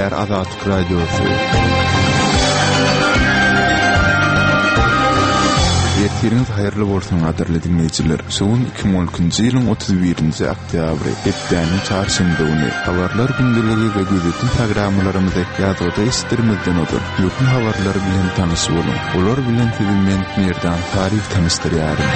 Gepleýär Azatlyk Radiosy. Ertiriňiz haýyrly bolsun gadyrly diňleýjiler. Şu gün 2012-nji ýylyň 31-nji oktýabry, hepdäniň çarşenbe güni. Habarlar gündeligi we gözetim programmalarymyzy ýazgyda eşitdirmezden ozal, möhüm habarlar bilen tanyş boluň. Olar bilen sizi men, Merdan Saryýew tanyşdyrýaryn.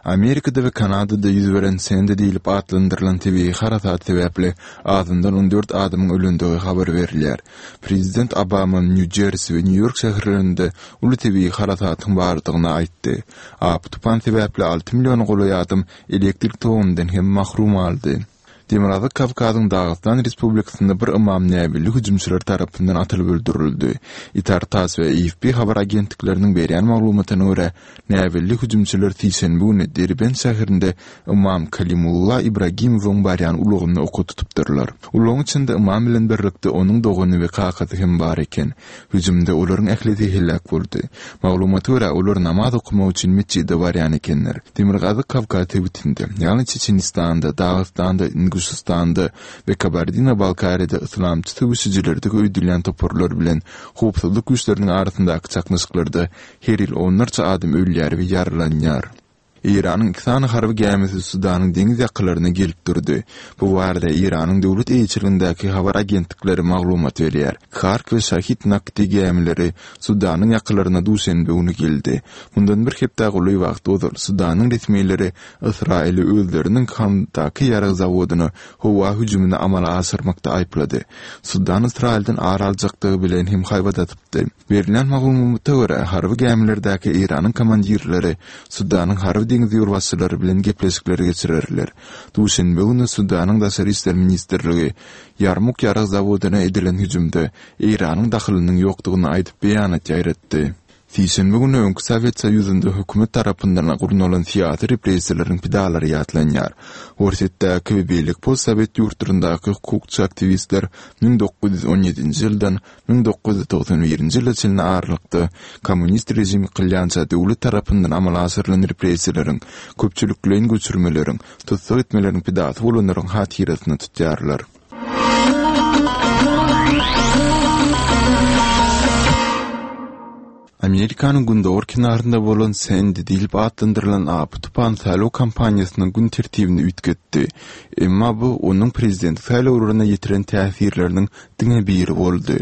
Amerikada we Kanadada ýüz beren Sendi diýlip atlandyrylan tebigy harasat sebäpli azyndan 14 adamyň ölendigi habar berilýär. Prezident Obama Nýu-Jersi we Nýu-Ýork şäherlerinde uly tebigy harasatyň bardygyny aýtdy. Apy-tupan sebäpli alty milliona golaý adam elektrik togundan hem mahrum galdy. Demirgazyk Kawkazyň Dagystan Respublikasynda bir ymam näbelli hüjümçiler tarapyndan atylyp öldürildi. Itar-tass we AFP habar agentlikleriniň berýän maglumatyna görä, näbelli hüjümçiler sişenbe güni Derbent şäherinde ymam Kalimulla Ibragimowyň barýan ulagyny oka tutupdyrlar. Ulagyň içinde ymam bilen birlikde onuň dogany we kakasy hem bar eken. Hüjümde olaryň ählisi heläk boldy. Maglumata görä, olar namaz okamak üçin metjide barýan ekenler. Demirgazyk Kawkaz sebitinde, ýagny Çeçenistanda, Dagystanda, Inguşystanda we Kabardino-Balkariýada yslamçy söweşijilerdigi öýdülýän toparlar bilen howpsuzlyk güýçleriniň arasyndaky çaknyşyklarda her ýyl onlarça adam ölýär we ýaralanýar. Eýranyň iki sany harby gämisi Sudanyň deňiz ýakalaryna gelip durdy. Bu barada Eýranyň döwlet eýeçiligindäki habar agentlikleri maglumat berýär. Hark we Şahid Nakdi gämileri Sudanyň ýakalaryna duşenbe güni geldi. Mundan bir hepdä golaý wagt ozal Sudanyň resmileri Ysraýyly özleriniň Hamddaky ýarag zawodyna howa hüjümini amala aşyrmakda aýyplady. Sudan Ysraýyldan ar aljakdygy bilen hem haýbat atypdy. Berlen maglumata görä, harby gämilerdäki Eýranyň komandirleri Sudanyň harby-deňiz ýolbaşçylary bilen gepleşikleri geçirerler. Duşenbe güni Sudanyň Daşary işler ministrligi Ýarmuk ýarag zawodyna edilen hüjümde Eýranyň dahylynyň ýokdugyny aýdyp beýanat ýaýratdy. Sişenbe güni öňki Sowet Soýuzynda hökümet tarapyndan gurnalan syýasy repressiýalaryň pidalary ýatlanýar. Orsýetdäki we beýleki postsowet ýurtlaryndaky hukukçy aktiwistler 1917-nji ýyldan 1991-nji ýyla çenli aralykda kommunist režim ýykylýança döwlet tarapyndan amala aşyrylan repressiýalaryň, köpçülikleýin göçürmeleriň, tussag etmeleriň pidasy bolanlaryň hatyrasyna tutýarlar. Amerikanyň gündogar kenarynda bolan Sendi diýlip atlandyrylan apy-tupan saýlaw kampaniýasynyň gün tertibini üýtgetdi. Emma bu onuň prezidentlik saýlawlaryna ýetiren täsirleriniň diňe biri boldy.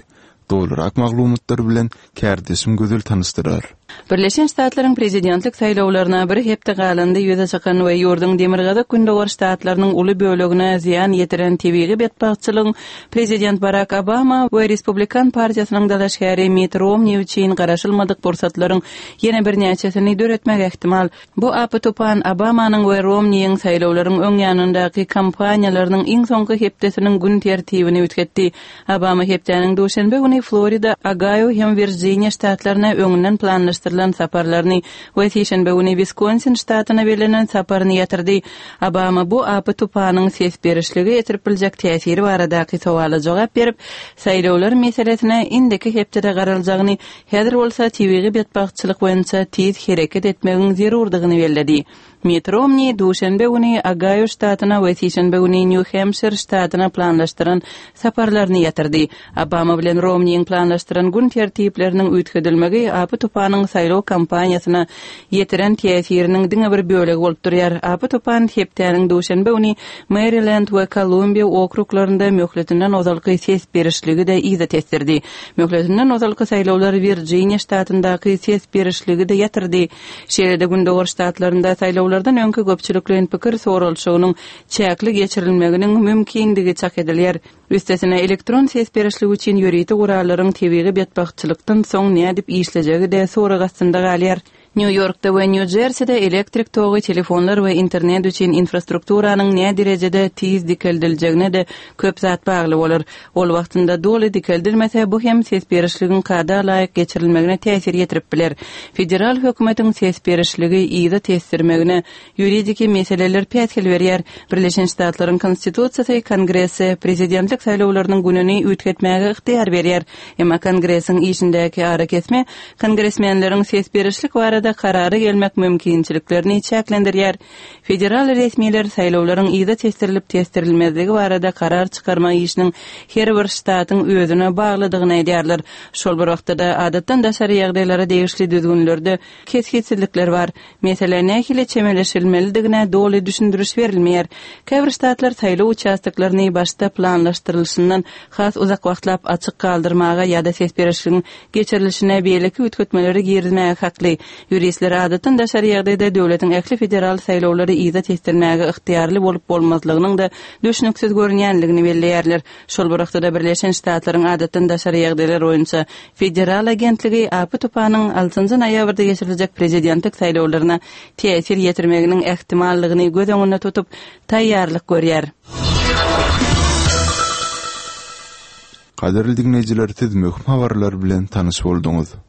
Dolurak maglumatlar bilen kärdeşim Gözel tanyşdyrar. Birleşen Ştatlaryň prezidentlik saýlawlaryna bir hepde galanda ýüze çykan we ýurduň demirgazyk-gündogar ştatlarynyň uly bölegine zyýan ýetiren tebigy betbagtçylygyň prezident Barak Obama we Respublikan partiýasynyň dalaşgäri Mitt Romni üçin garaşylmadyk pursatlaryň ýene birnäçesini döretmegi ähtimal. Bu apy-tupan Obamanyň we Romniýiň saýlawlaryň öň ýanyndaky kampaniýalarynyň iň soňky hepdesiniň gün tertibini üýtgetdi. Obama hepdäniň duşenbe güni Florida, Ogaýo hem Wirjiniýa ştatlaryna öňünden planlaşdyrylan saparlaryny we sişenbe güni Wiskonsin ştatyna bellenen saparyny ýatyrdy. Obama bu apy-tupanyň ses berişlige ýetirip biljek täsiri baradaky sowala jogap berip, saýlawlar meselesine indiki hepdede garaljagyny Häzir bolsa tebigy betbagtçylyk boýunça tiz hereket etmegiň zerurdygyny belledi. Mitt Romni duşenbe güni Ogaýo ştatyna we sişenbe güni Nýu-Hempşir ştatyna planlaşdyran saparlaryny ýatyrdy. Obama bilen Romniň planlaşdyran gün tertipleriniň üýtgedilmegi apy-tupanyň saýlaw kampaniýasyna ýetiren täsiriniň diňe bir bölegi bolup durýar. Apy-tupan hepdäniň duşenbe güni Merilend we Kolumbiýa okruglarynda möhletinden ozalky ses berişligi-de yza tesdirdi. Möhletinden ozalky saýlawlar Wirjiniýa ştatyndaky ses berişligi-de ýatyrdy. Şeýle-de gündogar ştatlarynda saýlawlardan öňki köpçülikleýin pikir soralyşygynyň çäkli geçirilmeginiň mümkindigi çak edilýär. Üstesine, elektron ses berişligi üçin ýörite gurallaryň tebigy betbagtçylykdan soň nädip işlejegi-de sorag astynda galýar. Nýu-Ýorkda we Nýu-Jerside elektrik togy, telefonlar we internet üçin infrastrukturanyň näderejede tiz dikeldiljegine-de köp zat bagly bolar. Ol wagtynda doly dikeldilmese, bu hem ses berişligiň kada laýyk geçirilmegine täsir ýetirip biler. Federal hökümetiň ses berişligi yza tesdirmegine ýuridiki meseleler päsgel berýär. Birleşen Ştatlaryň Konstitusiýasy Kongrese prezidentlik saýlawlarynyň gününi üýtgetmäge ygtyýar berýär. Emma Kongresiň işindäki arakesme kongresmenleriň ses berişlik barada. barada karara gelmek mümkinçiliklerini çäklendirýär. Federal resmiler saýlawlaryň yza tesdirilip-tesdirilmezligi barada karar çykarmak işiniň her bir ştatyň özüne baglydygyny aýdýarlar. Şol bir wagtda-da, adatdan daşary ýagdaýlara degişli düzgünlerde kesgitsizlikler bar. Meselä nähili çemeleşilmelidigine doly düşündiriş berilmeýär. Käbir ştatlar saýlaw uçastoklaryny başda planlaşdyrylyşyndan has uzak wagtlap açyk galdyrmaga ýa-da ses berişligiň geçirilişine beýleki üýtgetmeleri girizmäge hakly. Ýuristler adatdan daşary ýagdaýda döwletiň ähli federal saýlawlary yza tesdirmäge ygtyýarly bolup-bolmazlygynyň-da düşnüksiz görünýänligini belleýärler. Şol bir wagtda-da Birleşen Ştatlaryň adatdan daşary ýagdaýlar boýunça federal agentligi apy-tupanyň altynjy noýabrda geçiriljek prezidentlik saýlawlaryna täsir ýetirmeginiň ähtimallygyny göz öňünde tutup, taýýarlyk görýär. Gadyrly diňleýjiler siz möhüm habarlar bilen tanyş bolduňyz.